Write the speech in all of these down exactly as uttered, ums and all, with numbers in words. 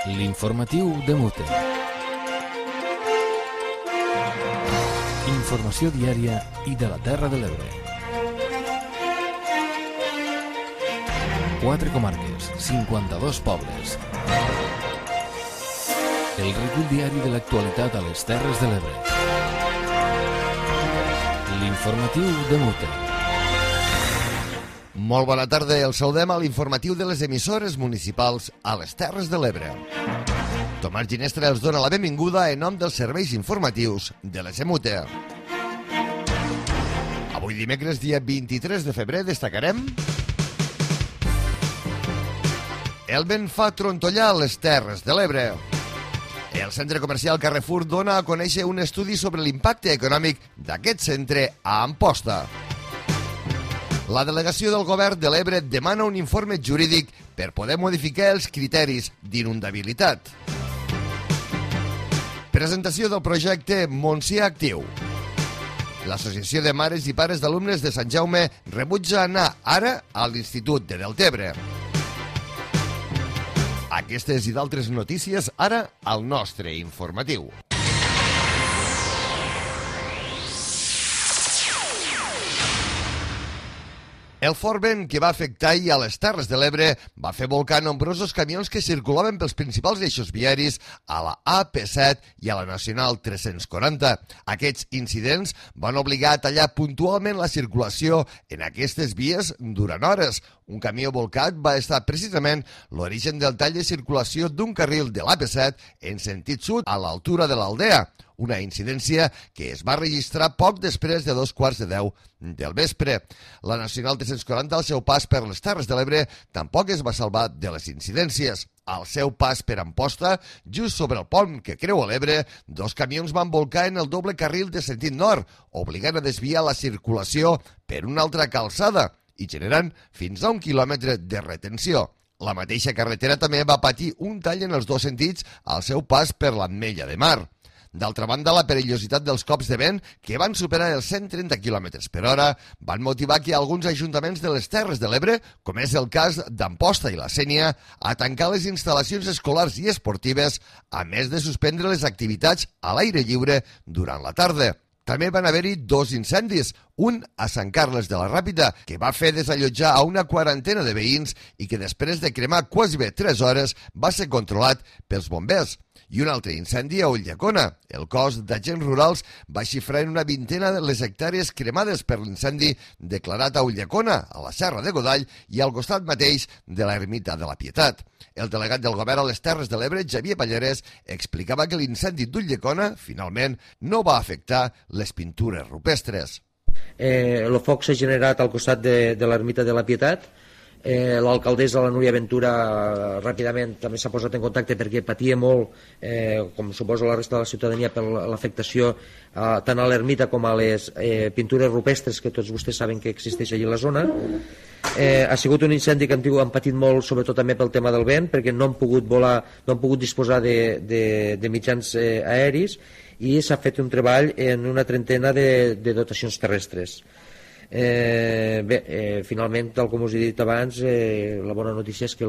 L'informatiu de Mute. Informació diària i de la Terra de l'Ebre. Quatre comarques, cinquanta-dos pobles. El recull diari de l'actualitat a les Terres de l'Ebre. L'informatiu de Mute. Molt bona tarda, el saludem a l'informatiu de les emissores municipals a les Terres de l'Ebre. Tomàs Ginestra els dona la benvinguda en nom dels serveis informatius de l'E S M U T E. Avui dimecres, dia vint-i-tres de febrer, destacarem el vent fa trontollar les Terres de l'Ebre. El centre comercial Carrefour dona a conèixer un estudi sobre l'impacte econòmic d'aquest centre a Amposta. La delegació del govern de l'Ebre demana un informe jurídic per poder modificar els criteris d'inundabilitat. Presentació del projecte Montsià Actiu. L'Associació de Mares i Pares d'Alumnes de Sant Jaume rebutja anar ara a l'Institut de Deltebre. Aquestes i d'altres notícies ara al nostre informatiu. El fort vent que va afectar ahir a les Terres de l'Ebre va fer volcar nombrosos camions que circulaven pels principals eixos viaris a la A P set i a la Nacional tres-cents quaranta. Aquests incidents van obligar a tallar puntualment la circulació en aquestes vies durant hores. Un camió volcat va estar precisament l'origen del tall de circulació d'un carril de l'A P set en sentit sud a l'altura de l'Aldea. Una incidència que es va registrar poc després de dos quarts de deu del vespre. La Nacional tres-cents quaranta, al seu pas per les Terres de l'Ebre, tampoc es va salvar de les incidències. Al seu pas per Amposta, just sobre el pont que creua l'Ebre, dos camions van volcar en el doble carril de sentit nord, obligant a desviar la circulació per una altra calçada i generant fins a un quilòmetre de retenció. La mateixa carretera també va patir un tall en els dos sentits al seu pas per l'Ametlla de Mar. D'altra banda, la perillositat dels cops de vent, que van superar els cent trenta quilòmetres per hora, van motivar que alguns ajuntaments de les Terres de l'Ebre, com és el cas d'Amposta i la Sénia, a tancar les instal·lacions escolars i esportives, a més de suspendre les activitats a l'aire lliure durant la tarda. També van haver-hi dos incendis, un a Sant Carles de la Ràpita, que va fer desallotjar a una quarantena de veïns i que després de cremar quasi bé tres hores va ser controlat pels bombers. I un altre incendi a Ulldecona. El cos d'agents rurals va xifrar en una vintena de les hectàrees cremades per l'incendi declarat a Ulldecona, a la Serra de Godall i al costat mateix de l'Ermita de la Pietat. El delegat del govern a les Terres de l'Ebre, Xavier Pallarès, explicava que l'incendi d'Ulldecona, finalment, no va afectar les pintures rupestres. Eh, el foc s'ha generat al costat de, de l'Ermita de la Pietat. Eh, l'alcaldessa, la Núria Ventura, ràpidament també s'ha posat en contacte perquè patia molt, eh, com suposo la resta de la ciutadania, per l'afectació eh, tant a l'ermita com a les eh, pintures rupestres que tots vostès saben que existeix allà a la zona. Eh, ha sigut un incendi que han, han patit molt, sobretot també pel tema del vent, perquè no han pogut volar, no han pogut disposar de, de, de mitjans eh, aeris, i s'ha fet un treball en una trentena de, de dotacions terrestres. Eh, bé, eh, finalment, tal com us he dit abans, eh, la bona notícia és que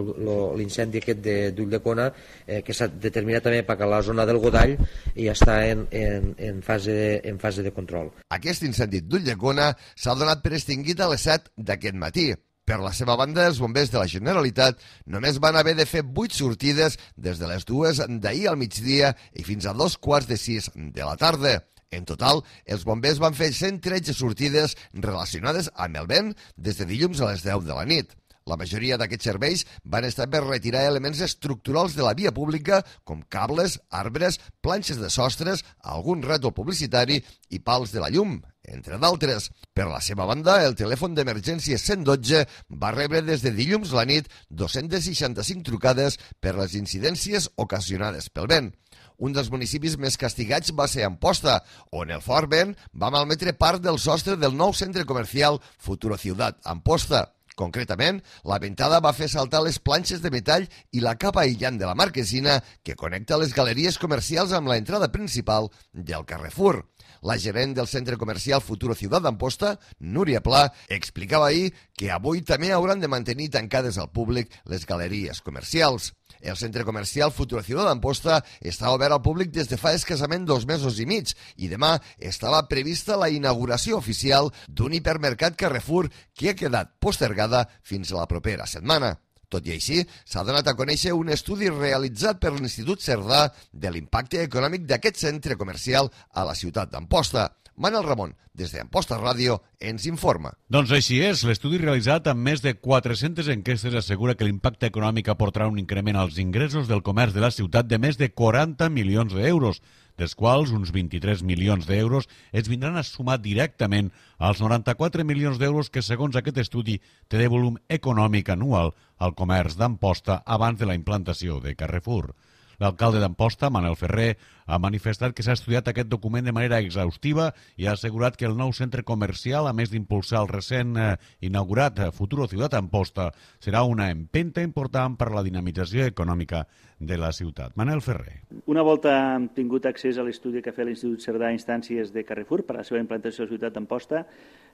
l'incendi aquest d'Ulldecona, eh, que s'ha determinat també per a la zona del Godall, ja està en, en, en, fase, en fase de control. Aquest incendi d'Ulldecona s'ha donat per extingit a les set d'aquest matí. Per la seva banda, els bombers de la Generalitat només van haver de fer vuit sortides des de les dues d'ahir al migdia i fins a dos quarts de sis de la tarda. En total, els bombers van fer cent tretze sortides relacionades amb el vent des de dilluns a les deu de la nit. La majoria d'aquests serveis van estar per retirar elements estructurals de la via pública com cables, arbres, planxes de sostres, algun rètol publicitari i pals de la llum, entre d'altres. Per la seva banda, el telèfon d'emergència cent dotze va rebre des de dilluns a la nit dos-cents seixanta-cinc trucades per les incidències ocasionades pel vent. Un dels municipis més castigats va ser Amposta, on el fort vent va malmetre part del sostre del nou centre comercial Futuro Ciutat Amposta. Concretament, la ventada va fer saltar les planxes de metall i la capa aïllant de la marquesina que connecta les galeries comercials amb l'entrada principal del Carrefour. La gerent del centre comercial Futuro Ciudad d'Amposta, Núria Pla, explicava ahir que avui també hauran de mantenir tancades al públic les galeries comercials. El centre comercial Futuro Ciudad d'Amposta està obert al públic des de fa escassament dos mesos i mig i demà estava prevista la inauguració oficial d'un hipermercat Carrefour que ha quedat postergada fins a la propera setmana. Tot i així, s'ha donat a conèixer un estudi realitzat per l'Institut Cerdà de l'impacte econòmic d'aquest centre comercial a la ciutat d'Amposta. Manel Ramon, des d'Amposta Ràdio, ens informa. Doncs així és. L'estudi realitzat amb més de quatre-centes enquestes assegura que l'impacte econòmic aportarà un increment als ingressos del comerç de la ciutat de més de quaranta milions d'euros, dels quals uns vint-i-tres milions d'euros es vindran a sumar directament als noranta-quatre milions d'euros que, segons aquest estudi, té de volum econòmic anual al comerç d'Amposta abans de la implantació de Carrefour. L'alcalde d'Amposta, Manel Ferrer, ha manifestat que s'ha estudiat aquest document de manera exhaustiva i ha assegurat que el nou centre comercial, a més d'impulsar el recent eh, inaugurat Futuro Ciudad Amposta, serà una empenta important per a la dinamització econòmica de la ciutat. Manel Ferrer. Una volta hem tingut accés a l'estudi que ha fet l'Institut Cerdà a instàncies de Carrefour per a la seva implantació a la ciutat d'Amposta,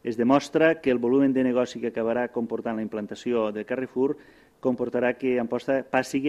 es demostra que el volum de negoci que acabarà comportant la implantació de Carrefour comportarà que Amposta passi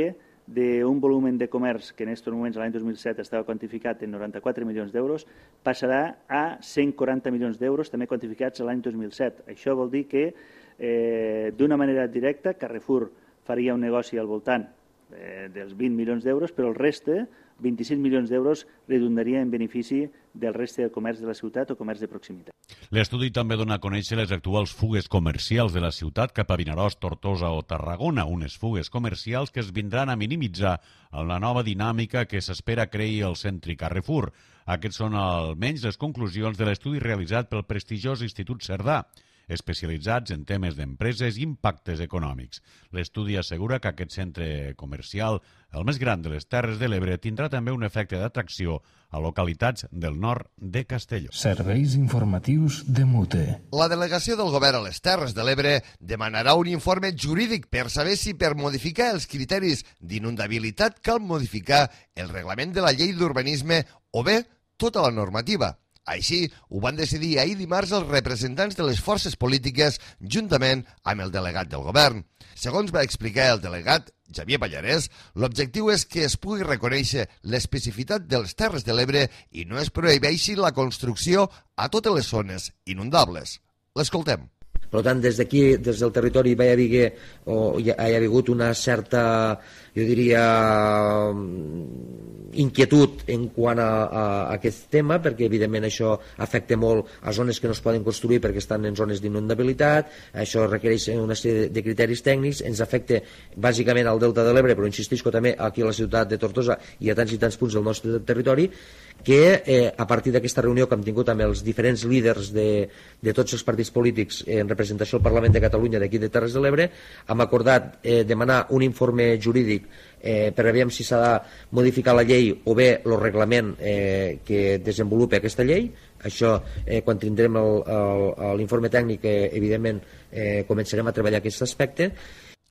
d'un volum de comerç que en aquests moments l'any dos mil set estava quantificat en noranta-quatre milions d'euros, passarà a cent quaranta milions d'euros també quantificats l'any dos mil set. Això vol dir que eh, d'una manera directa Carrefour faria un negoci al voltant eh, dels vint milions d'euros, però el reste, vint-i-cinc milions d'euros, redundaria en benefici del reste del comerç de la ciutat o comerç de proximitat. L'estudi també dona a conèixer les actuals fugues comercials de la ciutat cap a Vinaròs, Tortosa o Tarragona, unes fugues comercials que es vindran a minimitzar en la nova dinàmica que s'espera creï el centre Carrefour. Aquests són almenys les conclusions de l'estudi realitzat pel prestigiós Institut Cerdà, especialitzats en temes d'empreses i impactes econòmics. L'estudi assegura que aquest centre comercial, el més gran de les Terres de l'Ebre, tindrà també un efecte d'atracció a localitats del nord de Castelló. Serveis informatius de Mute. La delegació del govern a les Terres de l'Ebre demanarà un informe jurídic per saber si per modificar els criteris d'inundabilitat cal modificar el reglament de la llei d'urbanisme o bé tota la normativa. Així, ho van decidir ahir dimarts els representants de les forces polítiques juntament amb el delegat del govern. Segons va explicar el delegat, Xavier Pallarès, l'objectiu és que es pugui reconèixer l'especificitat de les Terres de l'Ebre i no es prohibeixi la construcció a totes les zones inundables. L'escoltem. Per tant, des d'aquí, des del territori, va haver, o hi ha hagut una certa, jo diria, inquietud en quant a, a aquest tema, perquè evidentment això afecta molt a zones que no es poden construir perquè estan en zones d'inundabilitat, això requereix una sèrie de criteris tècnics, ens afecta bàsicament al Delta de l'Ebre, però insistisco també aquí a la ciutat de Tortosa i a tants i tants punts del nostre territori, que eh, a partir d'aquesta reunió que hem tingut amb els diferents líders de, de tots els partits polítics en representació al Parlament de Catalunya d'aquí de Terres de l'Ebre, hem acordat eh, demanar un informe jurídic eh, per veure si s'ha de modificar la llei o bé el reglament eh, que desenvolupa aquesta llei. Això, eh, quan tindrem l'informe tècnic, eh, evidentment eh, començarem a treballar aquest aspecte.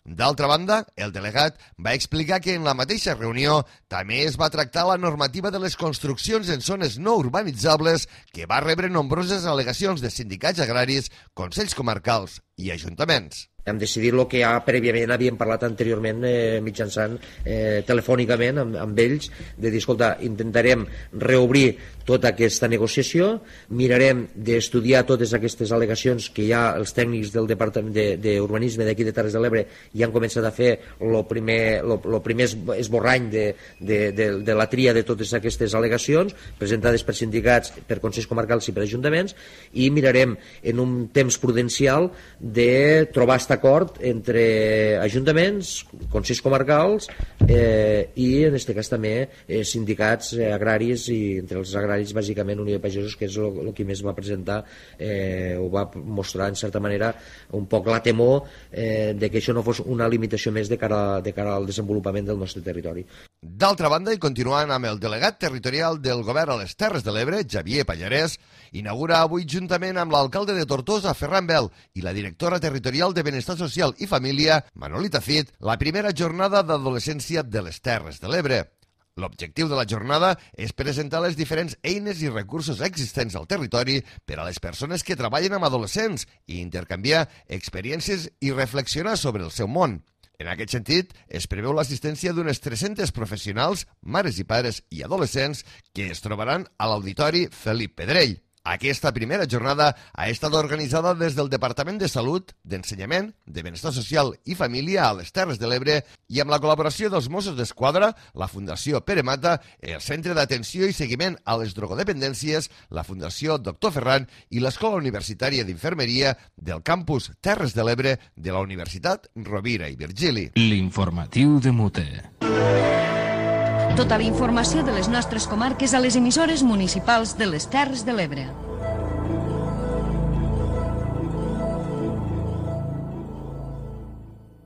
D'altra banda, el delegat va explicar que en la mateixa reunió també es va tractar la normativa de les construccions en zones no urbanitzables que va rebre nombroses al·legacions de sindicats agraris, consells comarcals i ajuntaments. Hem decidit el que ja prèviament havíem parlat anteriorment eh, mitjançant eh, telefònicament amb, amb ells, de dir, escolta, intentarem reobrir tota aquesta negociació, mirarem d'estudiar totes aquestes al·legacions que ja els tècnics del Departament d'Urbanisme d'aquí de Terres de l'Ebre ja han començat a fer el primer, lo, lo primer esborrany de, de, de, de la tria de totes aquestes al·legacions presentades per sindicats, per consells comarcals i per ajuntaments, i mirarem en un temps prudencial de trobar aquest acord entre ajuntaments, consells comarcals eh, i en aquest cas també eh, sindicats eh, agraris, i entre els agraris bàsicament Unió de Pagesos, que és el que més va presentar eh, o va mostrar en certa manera un poc la temor eh, de que això no fos una limitació més de cara, de cara al desenvolupament del nostre territori. D'altra banda, i continuant amb el delegat territorial del govern a les Terres de l'Ebre, Xavier Pallarès, inaugura avui juntament amb l'alcalde de Tortosa, Ferran Bel, i la directora territorial de Benestar Social i Família, Manolita Cid, la primera jornada d'adolescència de les Terres de l'Ebre. L'objectiu de la jornada és presentar les diferents eines i recursos existents al territori per a les persones que treballen amb adolescents i intercanviar experiències i reflexionar sobre el seu món. En aquest sentit, es preveu l'assistència d'unes tres-centes professionals, mares i pares i adolescents que es trobaran a l'Auditori Felip Pedrell. Aquesta primera jornada ha estat organitzada des del Departament de Salut, d'Ensenyament, de Benestar Social i Família a les Terres de l'Ebre i amb la col·laboració dels Mossos d'Esquadra, la Fundació Pere Mata, el Centre d'Atenció i Seguiment a les Drogodependències, la Fundació Doctor Ferran i l'Escola Universitària d'Infermeria del campus Terres de l'Ebre de la Universitat Rovira i Virgili. L'informatiu de Mute. Tota la informació de les nostres comarques a les emissores municipals de les Terres de l'Ebre.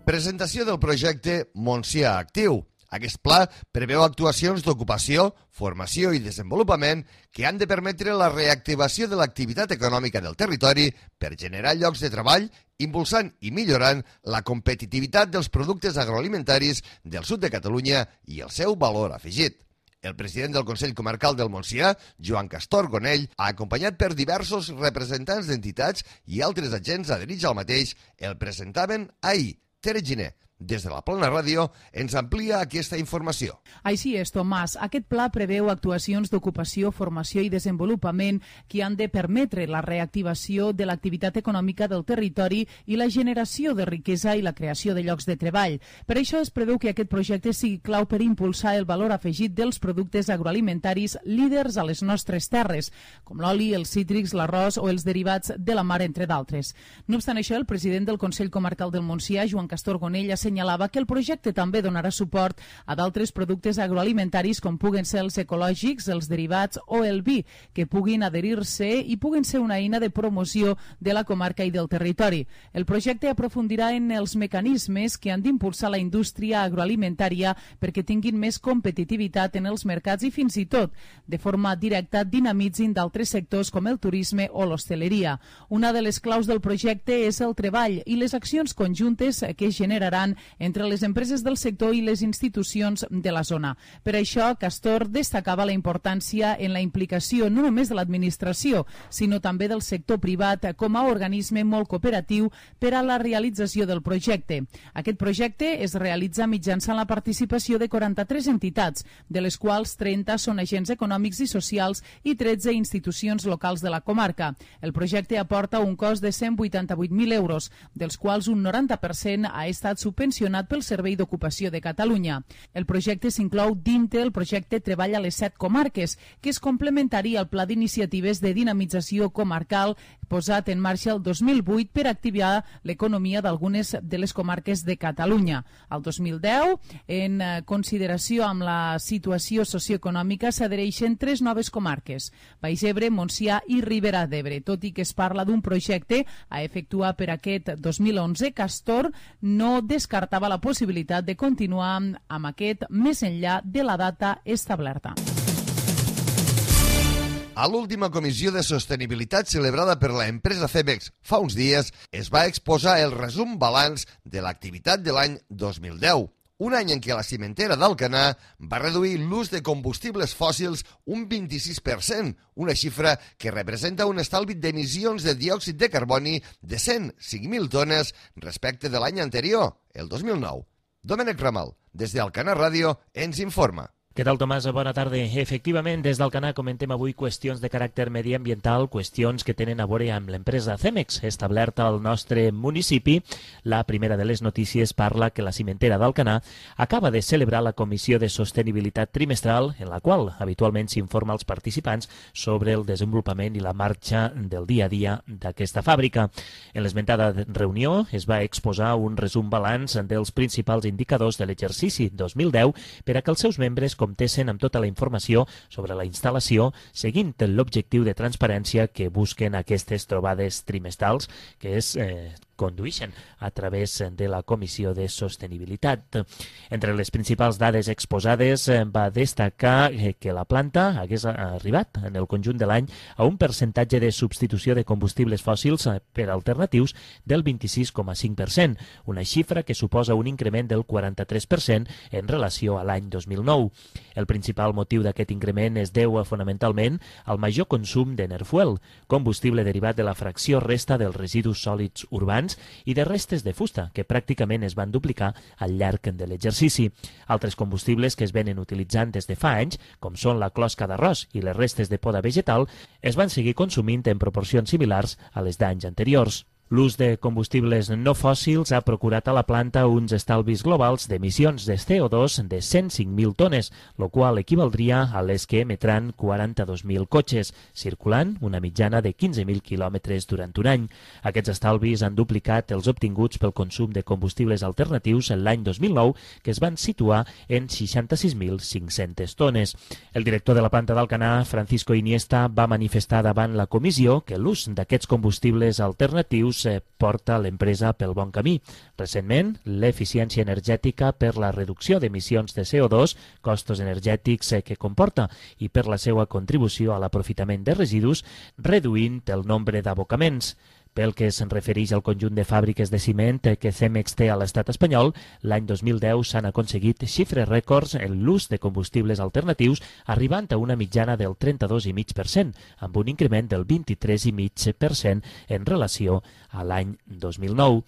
Presentació del projecte Montsià Actiu. Aquest pla preveu actuacions d'ocupació, formació i desenvolupament que han de permetre la reactivació de l'activitat econòmica del territori per generar llocs de treball, impulsant i millorant la competitivitat dels productes agroalimentaris del sud de Catalunya i el seu valor afegit. El president del Consell Comarcal del Montsià, Joan Castor Gonell, acompanyat per diversos representants d'entitats i altres agents adherits al mateix, el presentaven ahir. Tere Giner, des de la Plana Ràdio, ens amplia aquesta informació. Així és, Tomàs. Aquest pla preveu actuacions d'ocupació, formació i desenvolupament que han de permetre la reactivació de l'activitat econòmica del territori i la generació de riquesa i la creació de llocs de treball. Per això es preveu que aquest projecte sigui clau per impulsar el valor afegit dels productes agroalimentaris líders a les nostres terres, com l'oli, els cítrics, l'arròs o els derivats de la mar, entre d'altres. No obstant això, el president del Consell Comarcal del Montsià, Joan Castor Gonell, ha assenyalava que el projecte també donarà suport a d'altres productes agroalimentaris com puguen ser els ecològics, els derivats o el vi, que puguin adherir-se i puguen ser una eina de promoció de la comarca i del territori. El projecte aprofundirà en els mecanismes que han d'impulsar la indústria agroalimentària perquè tinguin més competitivitat en els mercats i fins i tot, de forma directa, dinamitzin d'altres sectors com el turisme o l'hostaleria. Una de les claus del projecte és el treball i les accions conjuntes que es generaran entre les empreses del sector i les institucions de la zona. Per això, Castor destacava la importància en la implicació no només de l'administració, sinó també del sector privat com a organisme molt cooperatiu per a la realització del projecte. Aquest projecte es realitza mitjançant la participació de quaranta-tres entitats, de les quals trenta són agents econòmics i socials i tretze institucions locals de la comarca. El projecte aporta un cost de cent vuitanta-vuit mil euros, dels quals un noranta per cent ha estat subvencionat pel Servei d'Ocupació de Catalunya. El projecte s'inclou dintre el projecte Treball a les set comarques, que és complementari al Pla d'Iniciatives de Dinamització Comarcal posat en marxa el dos mil vuit per activar l'economia d'algunes de les comarques de Catalunya. El dos mil deu, en consideració amb la situació socioeconòmica, s'adhereixen tres noves comarques, Baix Ebre, Montsià i Ribera d'Ebre. Tot i que es parla d'un projecte a efectuar per aquest dos mil onze, Castor no descartava la possibilitat de continuar amb aquest més enllà de la data establerta. A l'última comissió de sostenibilitat celebrada per l'empresa Cemex fa uns dies es va exposar el resum balanç de l'activitat de l'any dos mil deu, un any en què la cimentera d'Alcanar va reduir l'ús de combustibles fòssils un vint-i-sis per cent, una xifra que representa un estalvi d'emissions de diòxid de carboni de cent cinc mil tones respecte de l'any anterior, el dos mil nou. Domènec Ramal, des d'Alcanar Ràdio, ens informa. Què tal, Tomàs? Bona tarda. Efectivament, des d'Alcanar comentem avui qüestions de caràcter mediambiental, qüestions que tenen a veure amb l'empresa Cemex, establerta al nostre municipi. La primera de les notícies parla que la cimentera d'Alcanar acaba de celebrar la Comissió de Sostenibilitat trimestral, en la qual habitualment s'informa als participants sobre el desenvolupament i la marxa del dia a dia d'aquesta fàbrica. En l'esmentada reunió es va exposar un resum balanç dels principals indicadors de l'exercici dos mil deu per a que els seus membres comptessin amb tota la informació sobre la instal·lació, seguint l'objectiu de transparència que busquen aquestes trobades trimestrals, que és eh, condueixen a través de la Comissió de Sostenibilitat. Entre les principals dades exposades va destacar que la planta hagués arribat en el conjunt de l'any a un percentatge de substitució de combustibles fòssils per alternatius del vint-i-sis coma cinc per cent, una xifra que suposa un increment del quaranta-tres per cent en relació a l'any dos mil nou. El principal motiu d'aquest increment es deu fonamentalment al major consum d'Enerfuel, combustible derivat de la fracció resta dels residus sòlids urbans i de restes de fusta, que pràcticament es van duplicar al llarg de l'exercici. Altres combustibles que es venen utilitzant des de fa anys, com són la closca d'arròs i les restes de poda vegetal, es van seguir consumint en proporcions similars a les d'anys anteriors. L'ús de combustibles no fòssils ha procurat a la planta uns estalvis globals d'emissions de C O dos de cent cinc mil tones, el qual equivaldria a les que emetran quaranta-dos mil cotxes, circulant una mitjana de quinze mil quilòmetres durant un any. Aquests estalvis han duplicat els obtinguts pel consum de combustibles alternatius en l'any dos mil nou, que es van situar en seixanta-sis mil cinc-centes tones. El director de la planta d'Alcanar, Francisco Iniesta, va manifestar davant la comissió que l'ús d'aquests combustibles alternatius porta l'empresa pel bon camí. Recentment, l'eficiència energètica per la reducció d'emissions de C O dos, costos energètics que comporta i per la seva contribució a l'aprofitament de residus, reduint el nombre d'abocaments. Pel que se'n refereix al conjunt de fàbriques de ciment que Cemex té a l'estat espanyol, l'any dos mil deu s'han aconseguit xifres rècords en l'ús de combustibles alternatius, arribant a una mitjana del trenta-dos coma cinc per cent, amb un increment del vint-i-tres coma cinc per cent en relació a l'any dos mil nou.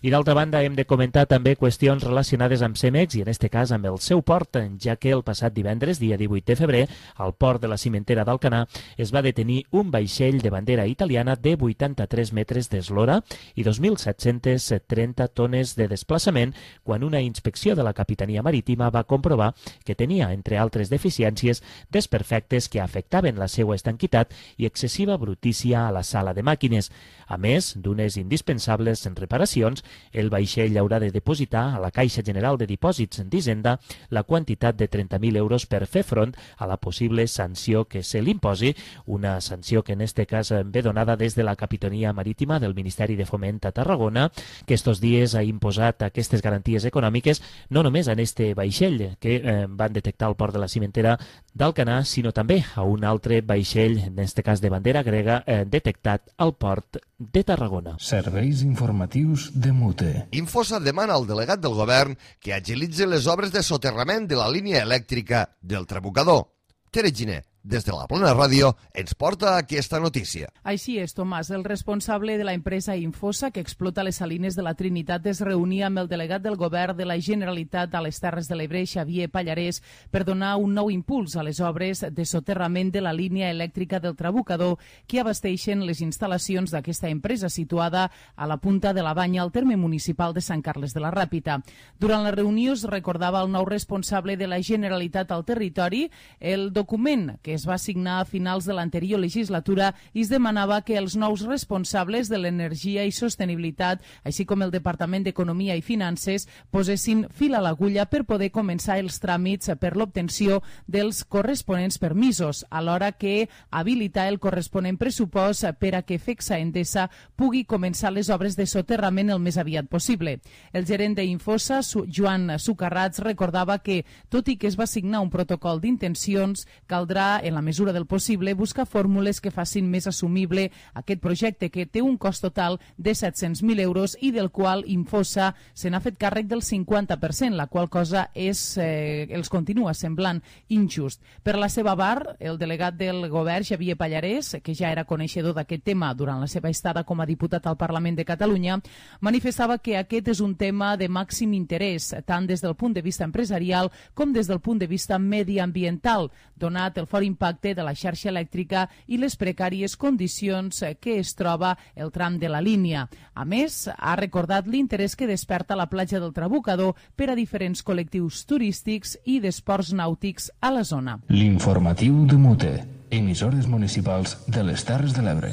I d'altra banda, hem de comentar també qüestions relacionades amb Cemex i en este cas amb el seu port, ja que el passat divendres, dia divuit de febrer, al port de la cimentera d'Alcanar es va detenir un vaixell de bandera italiana de vuitanta-tres metres d'eslora i dos mil set-cents trenta tones de desplaçament quan una inspecció de la Capitania Marítima va comprovar que tenia, entre altres deficiències, desperfectes que afectaven la seva estanquitat i excessiva brutícia a la sala de màquines. A més d'unes indispensables reparacions, el vaixell haurà de depositar a la Caixa General de Dipòsits d'Hisenda la quantitat de trenta mil euros per fer front a la possible sanció que se li imposi, una sanció que en este cas ve donada des de la Capitania Marítima del Ministeri de Foment a Tarragona, que estos dies ha imposat aquestes garanties econòmiques no només a este vaixell que eh, van detectar al port de la cimentera d'Alcanar, sinó també a un altre vaixell, en este cas de bandera grega, eh, detectat al port de Tarragona. Serveis informatius de Mute. Infosa demana al delegat del govern que agilitzi les obres de soterrament de la línia elèctrica del Trabucador. Tere Giner, des de la Plana Ràdio, ens porta aquesta notícia. Així és, Tomàs. El responsable de la empresa Infosa, que explota les salines de la Trinitat, es reunia amb el delegat del govern de la Generalitat a les Terres de l'Ebre, Xavier Pallarès, per donar un nou impuls a les obres de soterrament de la línia elèctrica del Trabucador, que abasteixen les instal·lacions d'aquesta empresa situada a la punta de la Banya, al terme municipal de Sant Carles de la Ràpita. Durant la reunió es recordava el nou responsable de la Generalitat al territori el document que es va signar a finals de l'anterior legislatura i es demanava que els nous responsables de l'energia i sostenibilitat, així com el Departament d'Economia i Finances, posessin fil a l'agulla per poder començar els tràmits per l'obtenció dels corresponents permisos, alhora que habilitar el corresponent pressupost per a que Fexa Endesa pugui començar les obres de soterrament el més aviat possible. El gerent d'Infosa, Joan Sucarrats, recordava que, tot i que es va signar un protocol d'intencions, caldrà, en la mesura del possible, buscar fórmules que facin més assumible aquest projecte, que té un cost total de set-cents mil euros i del qual Infosa se n'ha fet càrrec del cinquanta per cent, la qual cosa és, eh, els continua semblant injust. Per la seva part, el delegat del govern, Xavier Pallarès, que ja era coneixedor d'aquest tema durant la seva estada com a diputat al Parlament de Catalunya, manifestava que aquest és un tema de màxim interès, tant des del punt de vista empresarial com des del punt de vista mediambiental, donat el fort impacte de la xarxa elèctrica i les precàries condicions que es troba el tram de la línia. A més, ha recordat l'interès que desperta la platja del Trabucador per a diferents col·lectius turístics i d'esports nàutics a la zona. L'informatiu de Mute, emissores municipals de les Terres de l'Ebre.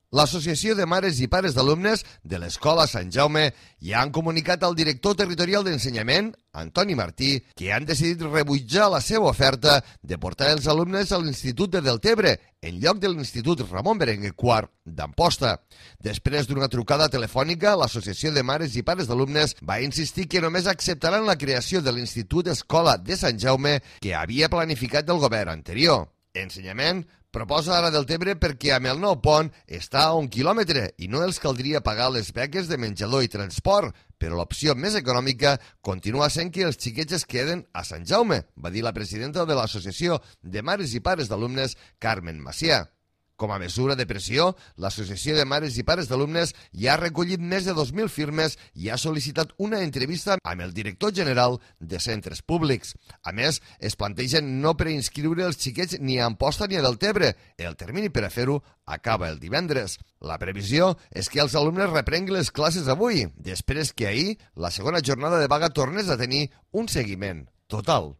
L'Associació de Mares i Pares d'Alumnes de l'Escola Sant Jaume ja han comunicat al director territorial d'ensenyament, Antoni Martí, que han decidit rebutjar la seva oferta de portar els alumnes a l'Institut de Deltebre, en lloc de l'Institut Ramon Berenguer quart d'Amposta. Després d'una trucada telefònica, l'Associació de Mares i Pares d'Alumnes va insistir que només acceptaran la creació de l'Institut Escola de Sant Jaume que havia planificat el govern anterior. Ensenyament proposa ara Deltebre perquè amb el nou pont està a un quilòmetre i no els caldria pagar les beques de menjador i transport, però l'opció més econòmica continua sent que els xiquets es queden a Sant Jaume, va dir la presidenta de l'Associació de Mares i Pares d'Alumnes, Carmen Macià. Com a mesura de pressió, l'Associació de Mares i Pares d'Alumnes ja ha recollit més de dos mil firmes i ha sol·licitat una entrevista amb el director general de centres públics. A més, es plantegen no preinscriure els xiquets ni a Amposta ni a Deltebre. El termini per a fer-ho acaba el divendres. La previsió és que els alumnes reprenguin les classes avui, després que ahir la segona jornada de vaga tornés a tenir un seguiment total.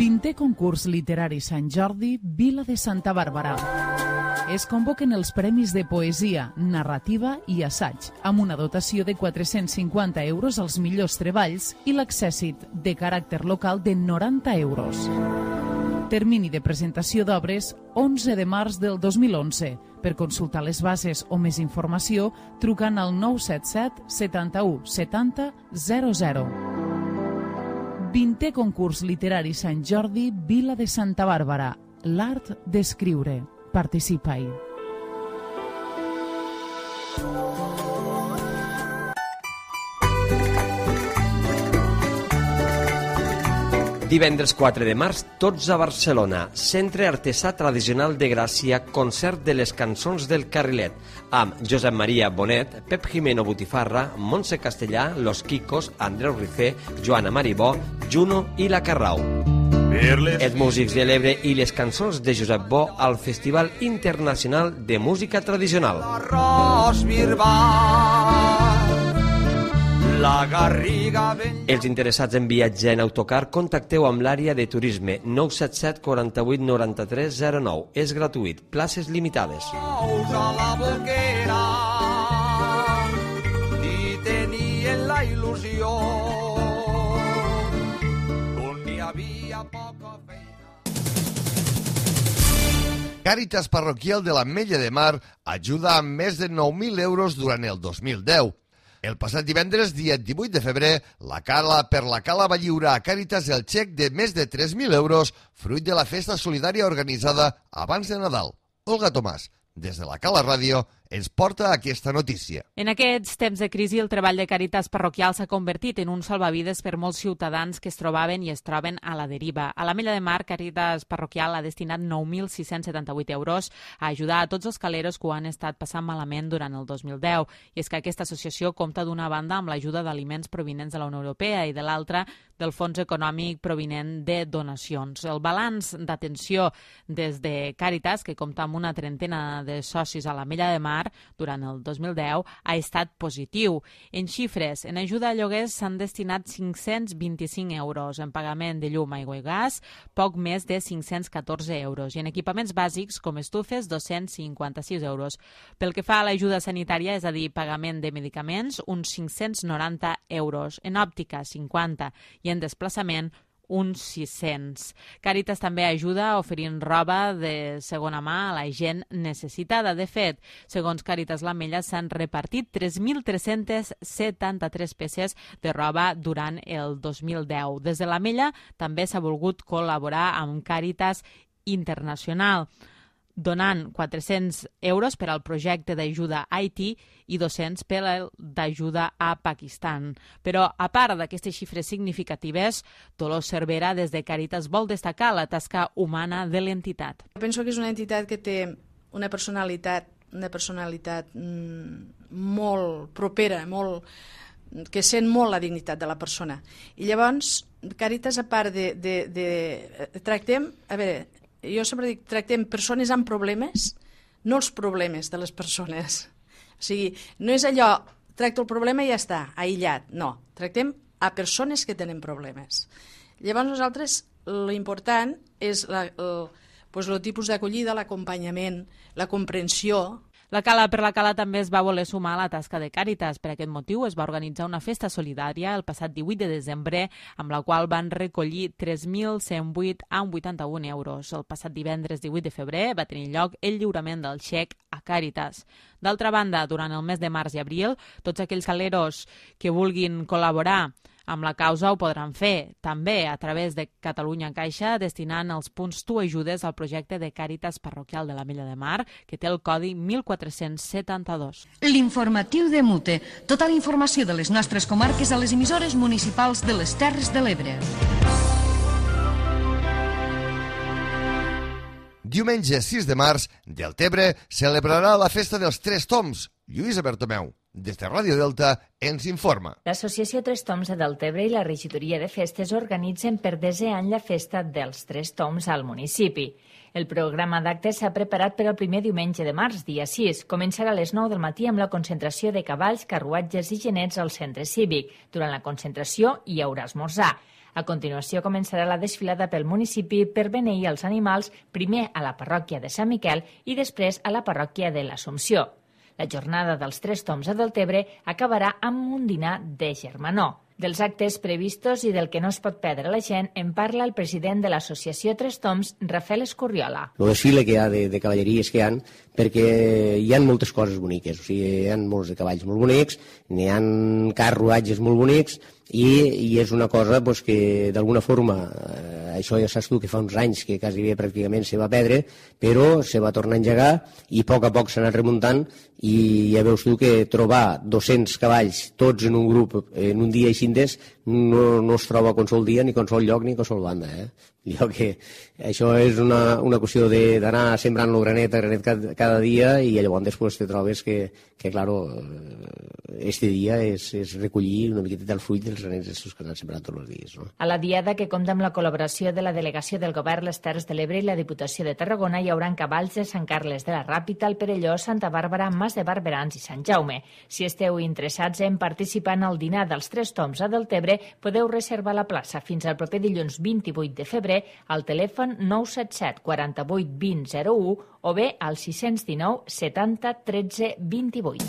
vintè concurs literari Sant Jordi, Vila de Santa Bàrbara. Es convoquen els premis de poesia, narrativa i assaig, amb una dotació de quatre-cents cinquanta euros als millors treballs i l'accèssit de caràcter local de noranta euros. Termini de presentació d'obres onze de març del dos mil onze. Per consultar les bases o més informació, trucant al nou set set setanta-u setanta zero zero. vintè concurs literari Sant Jordi, Vila de Santa Bàrbara. L'art d'escriure. Participa-hi. Divendres quatre de març, tots a Barcelona. Centre Artesà Tradicional de Gràcia, concert de les cançons del Carrilet, amb Josep Maria Bonet, Pep Jimeno Botifarra, Montse Castellà, Los Quicos, Andreu Rifé, Joana Maribó, Juno i La Carrau. Els músics de l'Ebre i les cançons de Josep Bo al Festival Internacional de Música Tradicional. La Garriga ben... Els interessats en viatjar en autocar, contacteu amb l'àrea de turisme nou set set quaranta-vuit noranta-tres zero nou. És gratuït, places limitades. A la boquera i tenien la il·lusió on hi havia poca feina. Càritas Parroquial de l'Ametlla de Mar ajuda amb més de nou mil euros durant el dos mil deu. El passat divendres, dia divuit de febrer, la Cala per la Cala va lliurar a Càritas el xec de més de tres mil euros fruit de la festa solidària organitzada abans de Nadal. Olga Tomàs, des de la Cala Ràdio, ens porta aquesta notícia. En aquests temps de crisi, el treball de Càritas Parroquial s'ha convertit en un salvavides per molts ciutadans que es trobaven i es troben a la deriva. A l'Ametlla de Mar, Càritas Parroquial ha destinat nou mil sis-cents setanta-vuit euros a ajudar a tots els caleros que ho han estat passant malament durant el dos mil deu. I és que aquesta associació compta d'una banda amb l'ajuda d'aliments provinents de la Unió Europea i de l'altra del fons econòmic provinent de donacions. El balanç d'atenció des de Càritas, que compta amb una trentena de socis a l'Ametlla de Mar, durant el dos mil deu ha estat positiu. En xifres, en ajuda a lloguers s'han destinat cinc-cents vint-i-cinc euros, en pagament de llum, aigua i gas, poc més de cinc-cents catorze euros, i en equipaments bàsics com estufes, dos-cents cinquanta-sis euros. Pel que fa a l'ajuda sanitària, és a dir, pagament de medicaments, uns cinc-cents noranta euros, en òptica, cinquanta, i en desplaçament, uns sis-cents. Càritas també ajuda oferint roba de segona mà a la gent necessitada. De fet, segons Càritas l'Ametlla, s'han repartit tres mil tres-cents setanta-tres peces de roba durant el dos mil deu. Des de l'Ametlla també s'ha volgut col·laborar amb Càritas Internacional, donant quatre-cents euros per al projecte d'ajuda a Haití i dos-cents per al d'ajuda a Pakistan. Però, a part d'aquestes xifres significatives, Dolors Cervera, des de Càritas, vol destacar la tasca humana de l'entitat. Penso que és una entitat que té una personalitat, una personalitat mmm, molt propera, molt, que sent molt la dignitat de la persona. I llavors, Càritas, a part de... de, de tractem, a veure, jo sempre dic, tractem persones amb problemes, no els problemes de les persones. O sigui, no és allò, tracto el problema i ja està, aïllat. No, tractem a persones que tenen problemes. Llavors nosaltres l'important és la, el, pues, el tipus d'acollida, l'acompanyament, la comprensió. La Cala per la Cala també es va voler sumar a la tasca de Càritas. Per aquest motiu es va organitzar una festa solidària el passat divuit de desembre, amb la qual van recollir tres mil cent vuit coma vuitanta-un euros. El passat divendres divuit de febrer va tenir lloc el lliurament del xec a Càritas. D'altra banda, durant el mes de març i abril, tots aquells caleros que vulguin col·laborar amb la causa ho podran fer, també a través de Catalunya Caixa, destinant els punts Tu Ajudes al projecte de Càritas Parroquial de l'Ametlla de Mar, que té el codi mil quatre-cents setanta-dos. L'informatiu de Mute. Tota la informació de les nostres comarques a les emissores municipals de les Terres de l'Ebre. Diumenge sis de març, Deltebre celebrarà la festa dels Tres Toms. Lluïsa Bertomeu, des de Ràdio Delta, ens informa. L'Associació Tres Toms de Deltebre i la Regidoria de Festes organitzen per desè any la festa dels Tres Toms al municipi. El programa d'actes s'ha preparat per al primer diumenge de març, dia sis. Començarà a les nou del matí amb la concentració de cavalls, carruatges i genets al centre cívic. Durant la concentració hi haurà esmorzar. A continuació començarà la desfilada pel municipi per beneir els animals, primer a la parròquia de Sant Miquel i després a la parròquia de l'Assumpció. La jornada dels Tres Toms a Deltebre acabarà amb un dinar de germanor. Dels actes previstos i del que no es pot perdre la gent en parla el president de l'associació Tres Toms, Rafael Escurriola. El desfile que hi ha de, de cavalleries que hi ha, perquè hi ha moltes coses boniques, o sigui, hi ha molts de cavalls molt bonics, n'hi ha carruatges molt bonics, i, i és una cosa pues, que d'alguna forma, eh, això ja saps tu que fa uns anys que quasi bé pràcticament se va perdre, però se va tornar a engegar i a poc a poc s'ha anat remuntant i ja veus tu que trobar dos-cents cavalls tots en un grup en un dia i cintes no, no es troba a qualsevol dia, ni a qualsevol lloc, ni a qualsevol banda. Eh? Jo que això és una, una qüestió d'anar sembrant el granet a granet cada, cada dia i llavors després te trobes que, que claro, este dia és, és recollir una miqueta del fruit dels granets estos que han sembrat tots els dies. No? A la diada, que compta amb la col·laboració de la Delegació del Govern les Terres de l'Ebre i la Diputació de Tarragona, hi haurà cavalls de Sant Carles de la Ràpita, el Perelló, Santa Bàrbara, Mas de Barberans i Sant Jaume. Si esteu interessats en participar en el dinar dels Tres Toms a Deltebre, podeu reservar la plaça fins al proper dilluns vint-i-vuit de febrer al telèfon nou set set quaranta-vuit vint zero u o bé al sis cents dinou setanta tretze vint-i-vuit.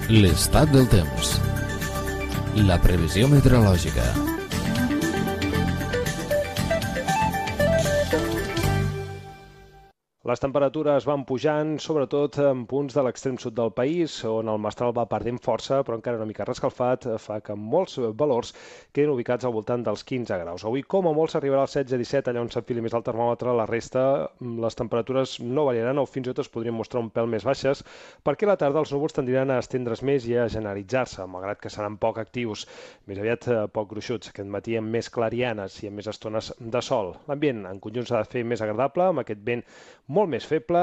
L'estat del temps. La previsió meteorològica. Les temperatures van pujant, sobretot en punts de l'extrem sud del país, on el mestral va perdent força, però encara una mica rescalfat, fa que molts valors quedin ubicats al voltant dels quinze graus. Avui, com a molt, s'arribarà als setze disset, allà on s'enfili més el termòmetre, la resta, les temperatures no variaran o fins i tot es podrien mostrar un pèl més baixes, perquè a la tarda els núvols tendiran a estendre's més i a generalitzar-se, malgrat que seran poc actius, més aviat poc gruixuts. Aquest matí amb més clarianes i amb més estones de sol. L'ambient en conjunt s'ha de fer més agradable, amb aquest vent molt més feble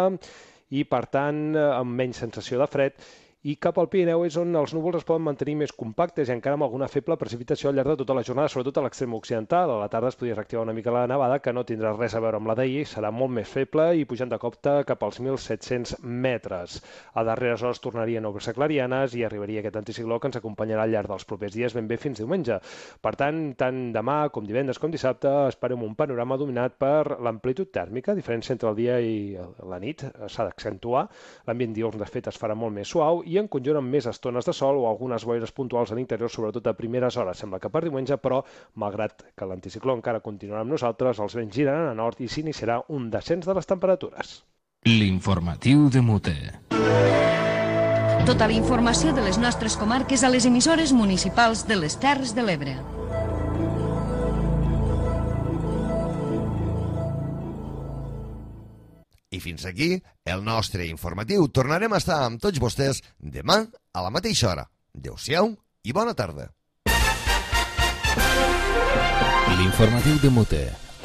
i, per tant, amb menys sensació de fred. I cap al Pirineu és on els núvols es poden mantenir més compactes i encara amb alguna feble precipitació al llarg de tota la jornada, sobretot a l'extrem occidental. A la tarda es podria reactivar una mica la nevada, que no tindrà res a veure amb la d'ahir, serà molt més feble i pujant de copte cap als mil set-cents metres. A darreres hores tornarien a obrir-se clarianes i arribaria aquest anticicló que ens acompanyarà al llarg dels propers dies ben bé fins diumenge. Per tant, tant demà com divendres com dissabte esperem un panorama dominat per l'amplitud tèrmica, a diferència entre el dia i la nit s'ha d'accentuar. L'ambient diürn, de fet, es farà molt més suau i en conjunt amb més estones de sol o algunes boires puntuals a l'interior, sobretot a primeres hores. Sembla que per diumenge, però, malgrat que l'anticicló encara continuarà amb nosaltres, els vents giraran a nord i s'iniciarà un descens de les temperatures. L'informatiu de Mute. Tota la informació de les nostres comarques a les emissores municipals de les Terres de l'Ebre. I fins aquí el nostre informatiu. Tornarem a estar amb tots vostès demà a la mateixa hora. Adéu-siau i bona tarda. L'informatiu de Mute,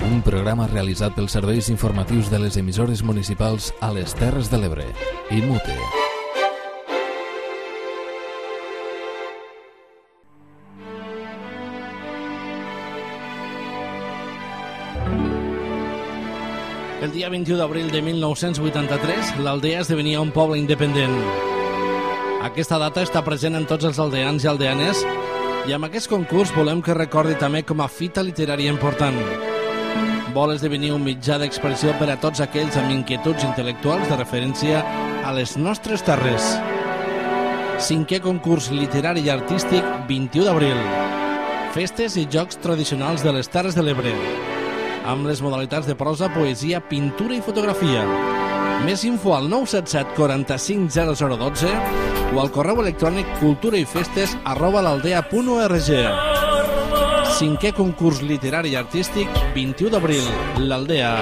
un programa realitzat pels serveis informatius de les emissores municipals a les Terres de l'Ebre i Mute. El dia vint-i-u d'abril de mil nou-cents vuitanta-tres, l'Aldea esdevenia un poble independent. Aquesta data està present en tots els aldeans i aldeanes i amb aquest concurs volem que recordi també com a fita literària important. Vol esdevenir un mitjà d'expressió per a tots aquells amb inquietuds intel·lectuals de referència a les nostres terres. Cinquè concurs literari i artístic, vint-i-u d'abril. Festes i jocs tradicionals de les Terres de l'Ebre, amb les modalitats de prosa, poesia, pintura i fotografia. Més info al nou set set quaranta-cinc zero zero dotze o al correu electrònic culturaifestes arroba l'aldea punt org. Cinquè concurs literari i artístic, vint-i-u d'abril, l'Aldea.